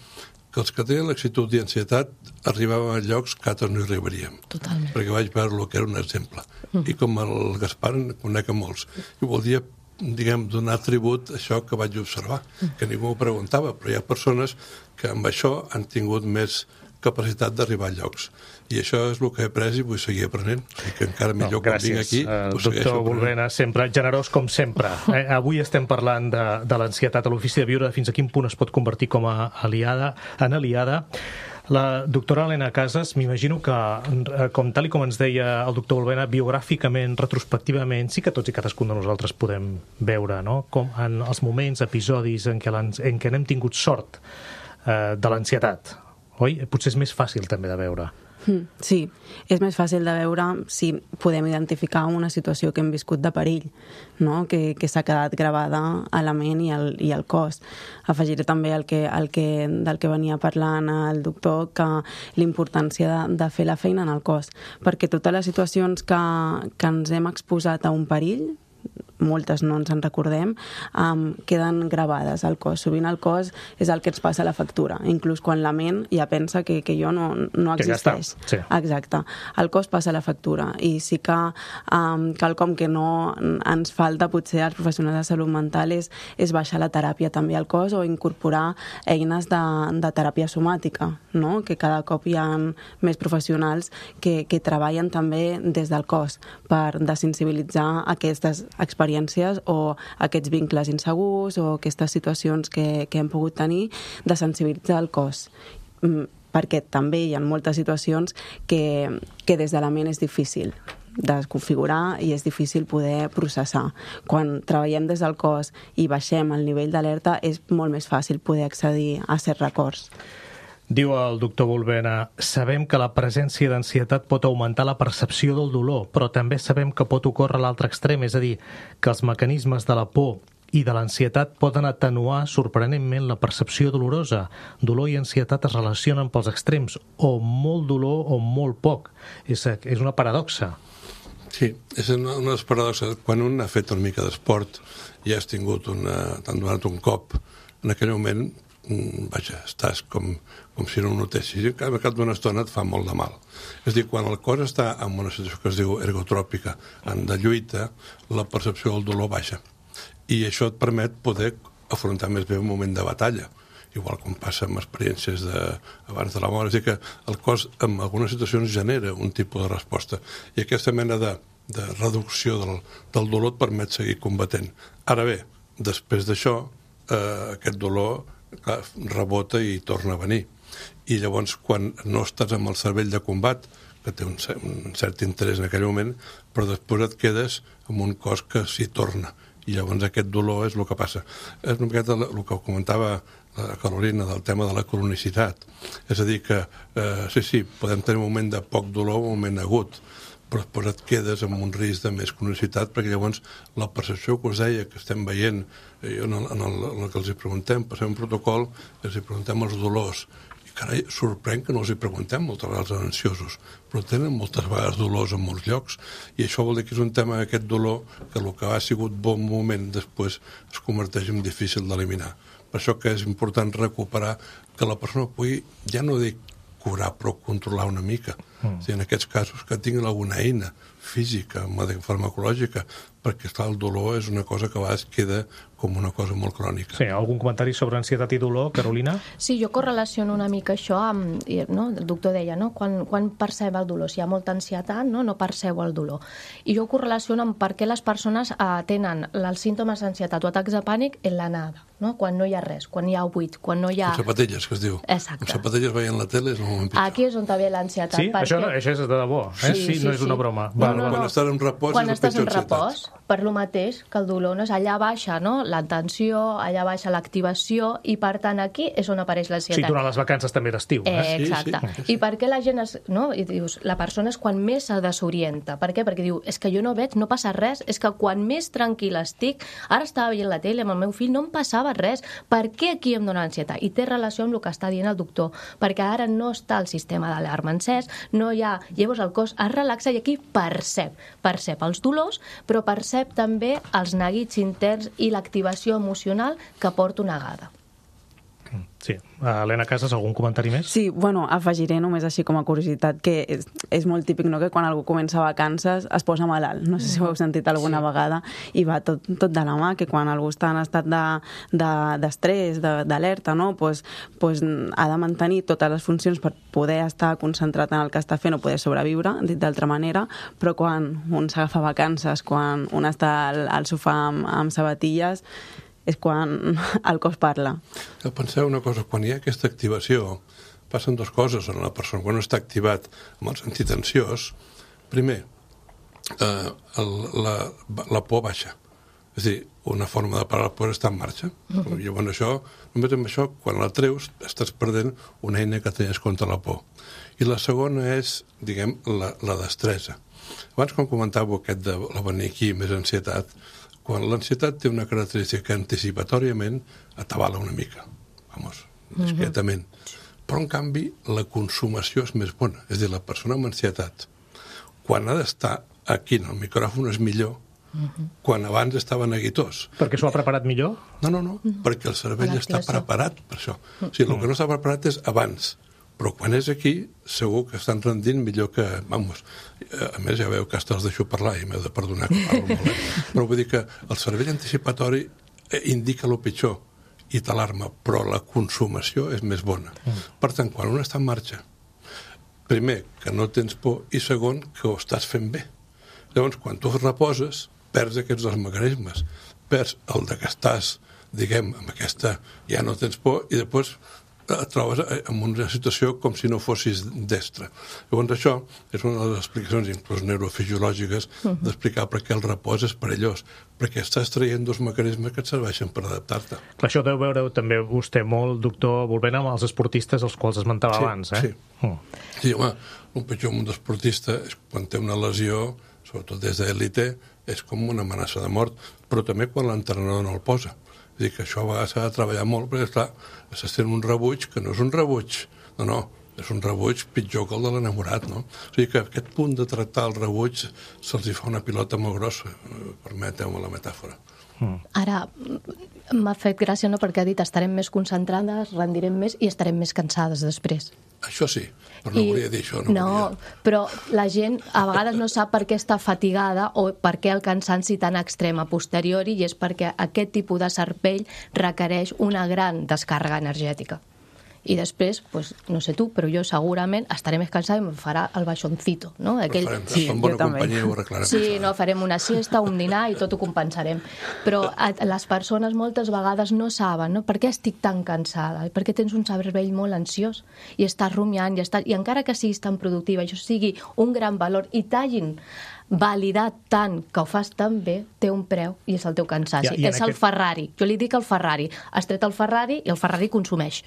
que els que tenen laxitud i ansietat arribaven a llocs que altres no hi arribaríem.
Totalment.
Perquè vaig veure que era un exemple. I com el Gaspar en conec a molts. I voldria, diguem, donar tribut a això que vaig observar, que ningú m'ho preguntava, però hi ha persones que amb això han tingut més capacitat d'arribar a llocs. I això és el que he après i vull seguir aprenent. I que encara millor quan vinc aquí ho segueixo
doctor Volvena, sempre generós com sempre. Avui estem parlant de l'ansietat a l'ofici de viure, fins a quin punt es pot convertir com a aliada. La doctora Helena Casas, m'imagino que, tal com ens deia el doctor Volbena, biogràficament, retrospectivament, sí que tots i cadascun de nosaltres podem veure, no?, com en els moments, episodis en què n'hem tingut sort de l'ansietat, oi? Potser és més fàcil també de veure.
Sí, és més fàcil de veure si podem identificar una situació que hem viscut de perill, no? que s'ha quedat gravada a la ment i al cos. Afegiré també del que venia parlant el doctor, que l'importància de fer la feina en el cos, perquè totes les situacions que ens hem exposat a un perill, moltes no ens en recordem, queden gravades al cos. Sovint el cos és el que ens passa la factura, inclús quan la ment ja pensa que jo no existeix.
Ja està, sí.
Exacte. El cos passa la factura i sí que quelcom que no ens falta potser als professionals de salut mental és baixar la teràpia també al cos o incorporar eines de teràpia somàtica, no? Que cada cop hi ha més professionals que treballen també des del cos per desensibilitzar aquestes experiències o aquests vincles insegurs o aquestes situacions que hem pogut tenir, de sensibilitzar el cos. Perquè també hi ha moltes situacions que des de la ment és difícil desconfigurar i és difícil poder processar. Quan treballem des del cos i baixem el nivell d'alerta és molt més fàcil poder accedir a certs records.
Diu el doctor Volbena, sabem que la presència d'ansietat pot augmentar la percepció del dolor, però també sabem que pot ocórrer a l'altre extrem, és a dir, que els mecanismes de la por i de l'ansietat poden atenuar sorprenentment la percepció dolorosa. Dolor i ansietat es relacionen pels extrems, o molt dolor o molt poc. És una paradoxa.
Sí, és una de les paradoxes. Quan un ha fet una mica d'esport i has tingut t'han donat un cop, en aquell moment estàs com si no ho notessis, i al cap d'una estona et fa molt de mal. És a dir, quan el cos està en una situació que es diu ergotròpica, de lluita, la percepció del dolor baixa. I això et permet poder afrontar més bé un moment de batalla, igual com passa amb experiències abans de la mort. És a dir, que el cos en algunes situacions genera un tipus de resposta, i aquesta mena de reducció del dolor et permet seguir combatent. Ara bé, després d'això, aquest dolor rebota i torna a venir. I llavors, quan no estàs amb el cervell de combat, que té un cert interès en aquell moment, però després et quedes amb un cos que s'hi torna. I llavors aquest dolor és el que passa. És una miqueta el que comentava la Carolina del tema de la cronicitat. És a dir que, sí, podem tenir un moment de poc dolor o un moment agut, però després et quedes amb un risc de més cronicitat, perquè llavors la percepció que us deia, que estem veient, en el que els hi preguntem, passem un protocol, els hi preguntem els dolors, i carai, sorprèn que no els hi preguntem moltes vegades als ansiosos, però tenen moltes vegades dolors en molts llocs, i això vol dir que és un tema, aquest dolor, que el que ha sigut bon moment després es converteix en difícil d'eliminar. Per això que és important recuperar que la persona pugui, ja no dic curar, però controlar una mica. En aquests casos que tinguin alguna eina física, farmacològica, perquè el dolor és una cosa que a vegades queda com una cosa molt crònica.
Sí, algun comentari sobre ansietat i dolor, Carolina?
Sí, jo correlaciono una mica això amb, no? El doctor deia, no? Quan perceb el dolor, si hi ha molta ansietat, no perceu el dolor. I jo ho correlaciono amb per què les persones tenen els símptomes d'ansietat o atacs de pànic en l'anada, no? Quan no hi ha res, quan hi ha buit, quan no hi ha...
Amb sapatilles, que es diu.
Exacte.
Amb sapatilles veient la tele és un moment pitjor.
Aquí és on ve l'ansietat.
Sí? Això és de debò,
Sí,
no és una broma.
Quan estàs en repòs
quan
és la
estàs en
pitjor
repòs, per lo mateix que el dolor, no? Allà baixa, no? L'atenció, allà baixa l'activació, i per tant aquí és on apareix l'ansietat.
Sí, durant les vacances també d'estiu.
Exacte.
Sí.
I per què la gent I dius, la persona és quan més se desorienta. Per què? Perquè diu, és que jo no veig, no passa res, és que quan més tranquil estic, ara estava veient la tele amb el meu fill, no em passava res. Per què aquí em dona ansietat? I té relació amb el que està dient el doctor, perquè ara no està el sistema d'alarma encès, no hi ha... Llavors el cos es relaxa i aquí percep els dolors, però percep també els neguits interns i l'activació emocional que porta una gada.
Sí. Helena Casas, algun comentari més?
Sí, bueno, afegiré només així com a curiositat que és molt típic, no?, que quan algú comença vacances es posa malalt. No sé si ho heu sentit alguna vegada, i va tot de la mà, que quan algú està en estat d'estrès, d'alerta, no?, pues ha de mantenir totes les funcions per poder estar concentrat en el que està fent o poder sobreviure, dit d'altra manera, però quan un s'agafa vacances, quan un està al sofà amb sabatilles, és quan el cos parla.
Penseu una cosa, quan hi ha aquesta activació, passen dues coses en la persona. Quan està activat amb el sentit ansiós, primer, la por baixa. És a dir, una forma de parar la por està en marxa. Llavors només amb això, quan la treus, estàs perdent una eina que tenies contra la por. I la segona és, diguem, la destresa. Abans, quan comentàveu aquest de la venir aquí més ansietat, quan l'ansietat té una característica que anticipatòriament atabala una mica, discretament. Però, en canvi, la consumació és més bona. És a dir, la persona amb ansietat, quan ha d'estar aquí en el micròfon és millor quan abans estava neguitós.
Perquè s'ho ha preparat millor?
No, perquè el cervell està preparat per això. O sigui, el que no està preparat és abans, però quan és aquí segur que estan rendint millor que... A més, ja veu que hasta els deixo parlar i m'heu de perdonar que parlo molt. Però vull dir que el cervell anticipatori indica el pitjor i t'alarma, però la consumació és més bona. Per tant, quan un està en marxa, primer, que no tens por, i segon, que ho estàs fent bé. Llavors, quan tu reposes, perds aquests dos mecanismes. Perds el de que estàs, diguem, amb aquesta... ja no tens por, i després et trobes en una situació com si no fossis destre. Llavors, això és una de les explicacions, inclús neurofisiològiques, d'explicar per què el repòs és perillós, perquè estàs traient dos mecanismes que et serveixen per adaptar-te.
Això deu veure també vostè molt, doctor, volvent amb els esportistes als quals esmentava abans, eh?
Sí, home, un pitjor un esportista és quan té una lesió, sobretot des d'élite, és com una amenaça de mort, però també quan l'entrenador no el posa. És a dir, que això a vegades s'ha de treballar molt, perquè, esclar, s'està fent un rebuig que no és un rebuig, no, és un rebuig pitjor que el de l'enamorat, no? O sigui que aquest punt de tractar el rebuig se'ls fa una pilota molt grossa, permeteu-me la metàfora.
Ara, m'ha fet gràcia, no?, perquè ha dit estarem més concentrades, rendirem més i estarem més cansades després.
Això sí, però no volia dir això.
No, però la gent a vegades no sap per què està fatigada o per què el cansanci tan extrem a posteriori, i és perquè aquest tipus de cervell requereix una gran descàrrega energètica. I després, pues, no sé tu, però jo segurament estaré més cansada i em farà el baixoncito, no? Aquell...
Sí, en bona companyia ho arreglarem.
Sí, no, farem una siesta, un dinar i tot ho compensarem. Però les persones moltes vegades no saben, no? Per què estic tan cansada? Perquè tens un cervell molt ansiós i estàs rumiant i encara que siguis tan productiva, això sigui un gran valor i t'hagin validat tant que ho fas tan bé, té un preu i és el teu cansanci. És el Ferrari. Jo li dic el Ferrari. Has tret el Ferrari i el Ferrari consumeix.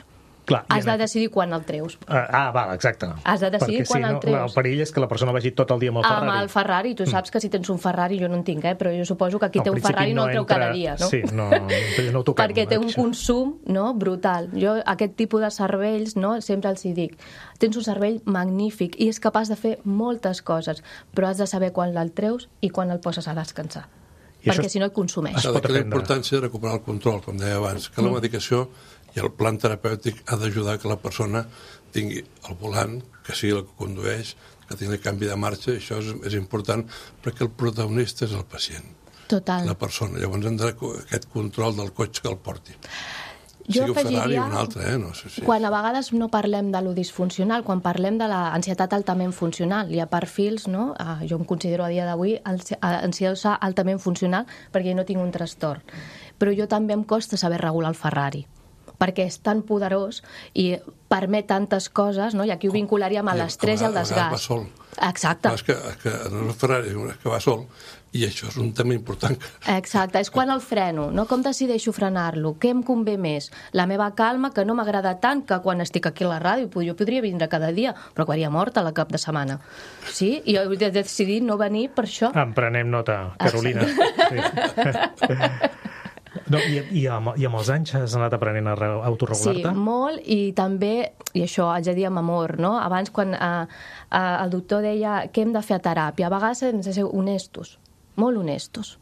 Clar,
has de decidir quan el treus.
Val, exacte.
Has de decidir quan el treus.
El perill és que la persona vagi tot el dia amb el Ferrari.
Amb el Ferrari. Tu saps que si tens un Ferrari, jo no en tinc, però jo suposo que qui té un Ferrari no el treu cada dia, no?
Sí, no ho toquem.
Perquè té un consum, no?, brutal. Jo aquest tipus de cervells, no?, sempre els hi dic. Tens un cervell magnífic i és capaç de fer moltes coses, però has de saber quan el treus i quan el poses a descansar. Perquè si no et consumeix.
S'ha de crear la importància de recuperar el control, com deia abans, que la medicació i el plan terapèutic ha d'ajudar que la persona tingui el volant, que sigui el que condueix, que tingui el canvi de marxa, i això és important perquè el protagonista és el pacient.
Total.
La persona. Llavors hem de aquest control del cotxe que el porti.
Jo
sigui un Ferrari o un altre, no sé si...
Quan a vegades no parlem de lo disfuncional, quan parlem de l'ansietat altament funcional, hi ha perfils, no? Jo em considero a dia d'avui ansiosa altament funcional perquè no tinc un trastorn. Però jo també em costa saber regular el Ferrari, perquè és tan poderós i permet tantes coses, no? I aquí ho vincularíem a l'estrès i al desgast.
Va sol.
Exacte.
És que no és el Ferrari, és que va sol, i això és un tema important.
Exacte, és quan el freno, no? Com decideixo frenar-lo? Què em convé més? La meva calma, que no m'agrada tant que quan estic aquí a la ràdio, jo podria vindre cada dia, però acabaria morta la cap de setmana. Sí? I jo he decidit no venir per això.
En prenem nota, Carolina. Sí. No, i amb els anys has anat aprenent a autorregular-te?
Sí, molt, i també, i això haig de dir amb amor, no? Abans, quan el doctor deia què hem de fer a teràpia, a vegades hem de ser honestos, molt honestos.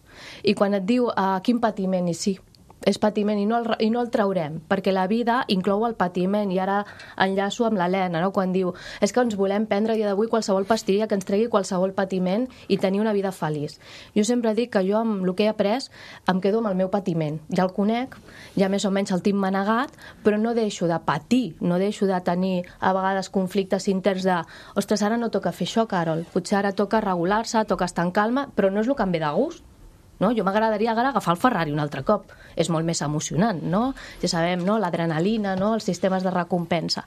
I quan et diu quin patiment, i sí, és patiment i no el traurem, perquè la vida inclou el patiment, i ara enllaço amb l'Helena, no? Quan diu és que ens volem prendre a dia d'avui qualsevol pastilla que ens tregui qualsevol patiment i tenir una vida feliç. Jo sempre dic que jo amb el que he après em quedo amb el meu patiment, ja el conec, ja més o menys el tinc manegat, però no deixo de patir, no deixo de tenir a vegades conflictes interns de ostres, ara no toca fer això, Carol, potser ara toca regular-se, toca estar en calma, però no és el que em ve de gust. no? Jo m'agradaria ara agafar el Ferrari un altre cop. És molt més emocionant, no? Ja sabem, no? L'adrenalina, no? Els sistemes de recompensa.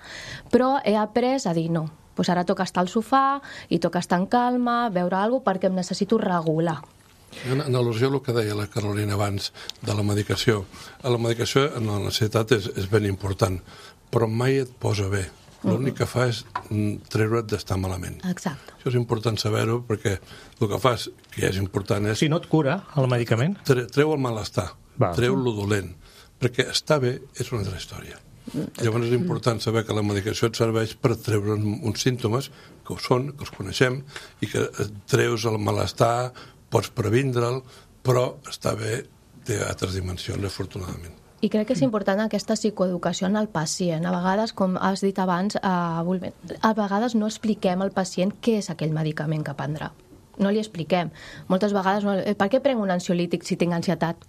Però he après a dir no. Doncs ara toca estar al sofà i toca estar en calma, veure alguna cosa perquè em necessito regular.
En al·lusió al que deia la Carolina abans de la medicació. La medicació en l'ansietat és ben important, però mai et posa bé. L'únic que fa és treure't d'estar malament.
Exacte.
Això és important saber-ho perquè el que fas, que és important, és...
Si no et cura el medicament?
Treu el malestar, treu lo dolent, perquè estar bé és una altra història. Llavors és important saber que la medicació et serveix per treure uns símptomes que ho són, que els coneixem, i que treus el malestar, pots previndre'l, però estar bé té altres dimensions, afortunadament.
I crec que és important aquesta psicoeducació en el pacient. A vegades, com has dit abans, a vegades no expliquem al pacient què és aquell medicament que prendrà. No li expliquem. Moltes vegades, per què prenc un ansiolític si tinc ansietat?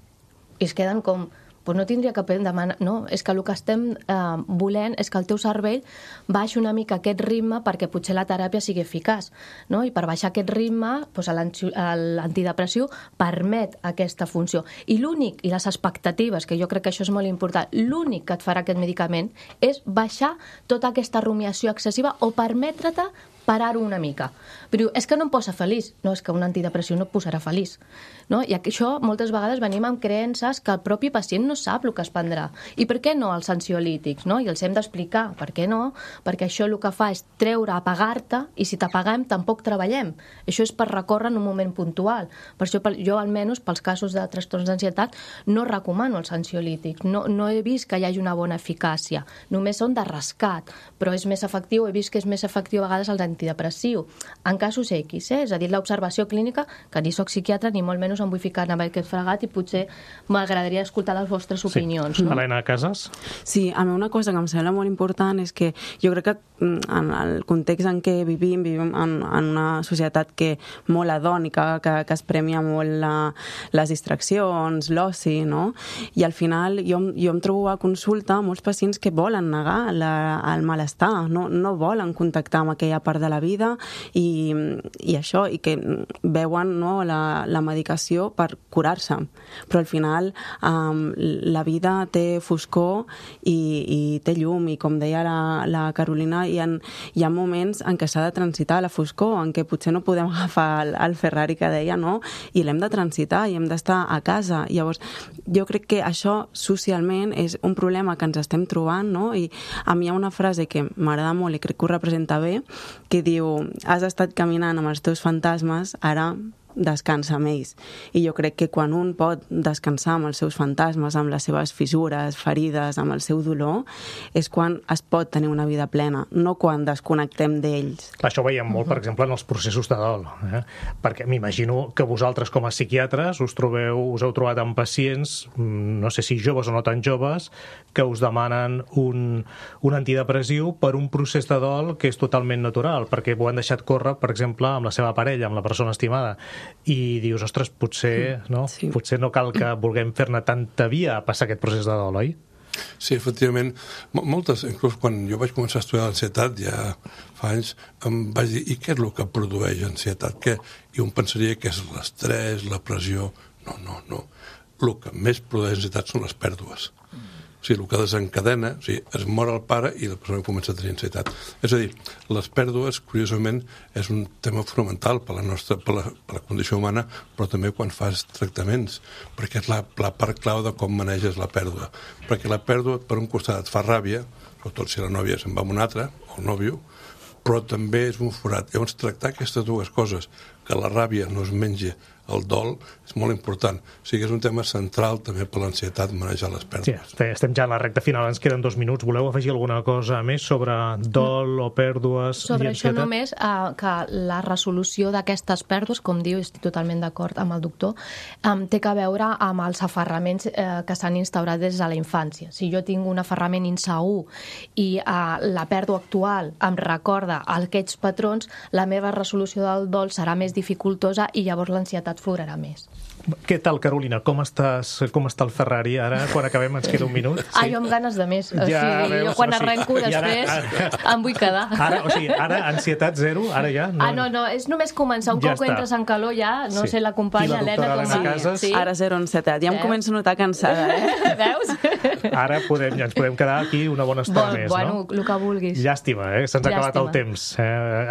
I es queden com... Pues no tindria que demanar... No, és que el que estem volent és que el teu cervell baixi una mica aquest ritme perquè potser la teràpia sigui eficaç. No? I per baixar aquest ritme, doncs l'antidepressiu permet aquesta funció. I l'únic, i les expectatives, que jo crec que això és molt important, l'únic que et farà aquest medicament és baixar tota aquesta rumiació excessiva o permetre-te parar-ho una mica. Però és que no em posa feliç. No, és que un antidepressiu no et posarà feliç. No? I això moltes vegades venim amb creences que el propi pacient no sap el que es prendrà. I per què no els ansiolítics? No? I els hem d'explicar. Per què no? Perquè això el que fa és treure, apagar-te, i si t'apaguem tampoc treballem. Això és per recórrer en un moment puntual. Per això jo, almenys, pels casos de trastorns d'ansietat, no recomano els ansiolítics. No he vist que hi hagi una bona eficàcia. Només són de rescat, però és més efectiu, he vist que és més efectiu a vegades el antidepressiu. En casos X, és a dir, l'observació clínica, que ni soc psiquiatra ni molt menys em vull ficar en aquest fregat i potser m'agradaria escoltar les vostres opinions.
Sí.
No?
Helena Casas?
Sí, a mi una cosa que em sembla molt important és que jo crec que en el context en què vivim en una societat que molt hedònica, que es premia molt les distraccions, l'oci, no? I al final jo em trobo a consulta molts pacients que volen negar el malestar, no volen contactar amb aquella part de la vida i això, i que veuen, no, la medicació per curar-se. Però al final la vida té foscor i té llum, i com deia la Carolina, hi ha moments en què s'ha de transitar la foscor, en què potser no podem agafar el Ferrari que deia, no? I l'hem de transitar i hem d'estar a casa. Llavors, jo crec que això socialment és un problema que ens estem trobant, no? I a mi hi ha una frase que m'agrada molt i crec que ho representa bé, que diu: has estat caminant amb els teus fantasmes, ara descansa amb ells. I jo crec que quan un pot descansar amb els seus fantasmes, amb les seves fissures, ferides, amb el seu dolor, és quan es pot tenir una vida plena, no quan desconnectem d'ells.
Això ho veiem molt, per exemple, en els processos de dol, perquè m'imagino que vosaltres com a psiquiatres us heu trobat amb pacients, no sé si joves o no tan joves, que us demanen un antidepressiu per un procés de dol que és totalment natural, perquè ho han deixat córrer, per exemple, amb la seva parella, amb la persona estimada, i dius, ostres, potser no cal que vulguem fer-ne tanta via a passar aquest procés de dol, oi?
Sí, efectivament. Moltes, inclús quan jo vaig començar a estudiar l'ansietat, ja fa anys, em vaig dir, i què és el que produeix ansietat? I un pensaria que és l'estrès, la pressió. No. El que més produeix ansietat són les pèrdues. O sigui, el que desencadena, o sigui, es mor el pare i la persona comença a tenir ansietat. És a dir, les pèrdues, curiosament, és un tema fonamental per la condició humana, però també quan fas tractaments, perquè és la part clau de com maneges la pèrdua. Perquè la pèrdua, per un costat, et fa ràbia, sobretot si la nòvia se'n va amb un altre, o el nòvio, però també és un forat. Llavors, tractar aquestes dues coses, que la ràbia no es mengi el dol, és molt important. O sigui, és un tema central també per l'ansietat, manejar les pèrdues.
Sí, estem ja en la recta final, ens queden 2 minuts. Voleu afegir alguna cosa més sobre dol o pèrdues?
Sobre això només, que la resolució d'aquestes pèrdues, com diu, estic totalment d'acord amb el doctor, té que veure amb els aferraments que s'han instaurat des de la infància. Si jo tinc un aferrament insegur i la pèrdua actual em recorda aquests patrons, la meva resolució del dol serà més dificultosa i llavors l'ansietat florarà més.
Què tal, Carolina? Com està el Ferrari? Ara, quan acabem, ens queda un minut.
Sí. Jo amb ganes de més. Jo quan arrenco després em vull quedar.
Ara ansietat zero? Ara ja?
No, és només començar. Un cop entres en calor ja, no sé, l'acompanya Helena com
sí. Ara zero ansietat. Ja em començo a notar cansada,
Veus?
Ara ens podem quedar aquí una bona estona més, no?
Bueno, el que vulguis.
Llàstima, se'ns ha acabat el temps.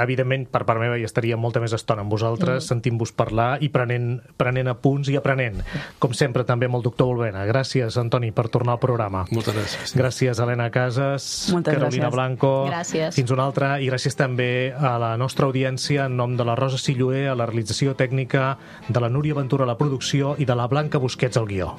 Evidentment, per part meva, hi estaria molta més estona amb vosaltres, sentint-vos parlar i prenent apunts i aprenent. Com sempre, també amb el doctor Volvena. Gràcies, Antoni, per tornar al programa.
Moltes gràcies.
Gràcies, Helena Casas, Carolina Blanco.
Gràcies.
Fins una altra. I gràcies també a la nostra audiència, en nom de la Rosa Silloé, a la realització tècnica, de la Núria Ventura a la producció i de la Blanca Busquets al guió.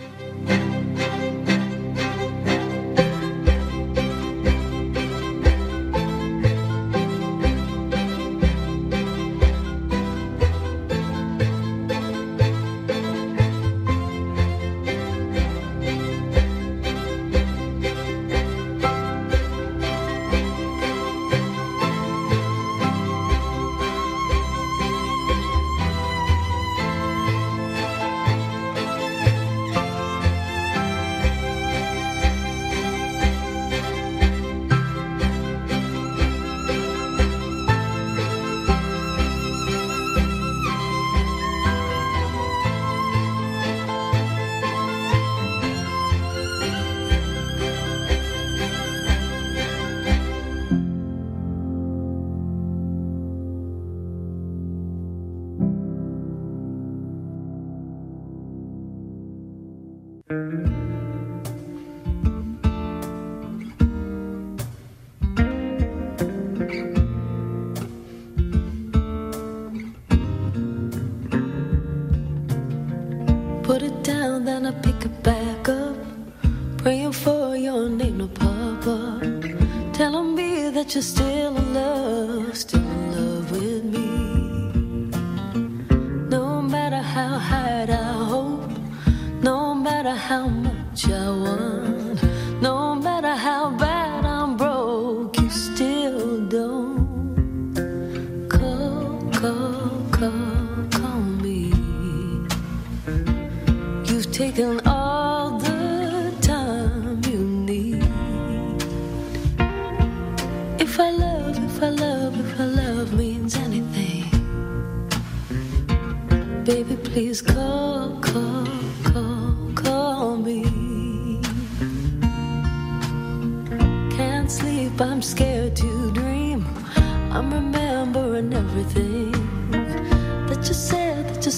Put it down, then I pick it back up, praying for your name to pop up, telling me that you're still in love with me. No matter how high I hope, no matter how much I want, no matter how bad I'm broke, you still don't call me. You've taken all the time you need. If I love means anything, baby, please call me. Can't sleep, I'm scared to dream. I'm remembering everything that you said to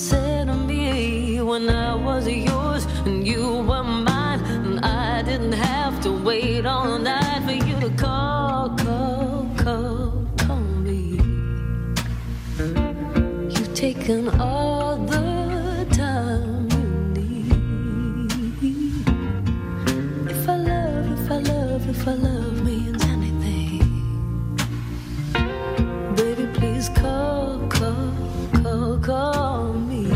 me when I was yours and you were mine, and I didn't have to wait all night for you to call me. You've taken all the time you need. If I love means anything, baby, please call me.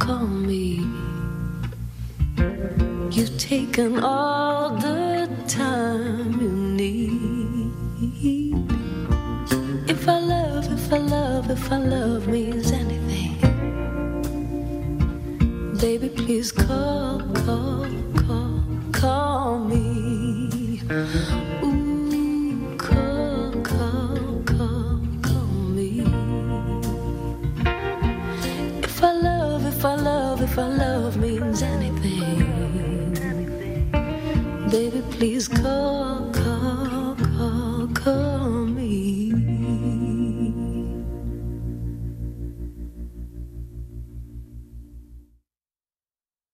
Call me. You've taken all the time you need. If I love means anything, baby, please call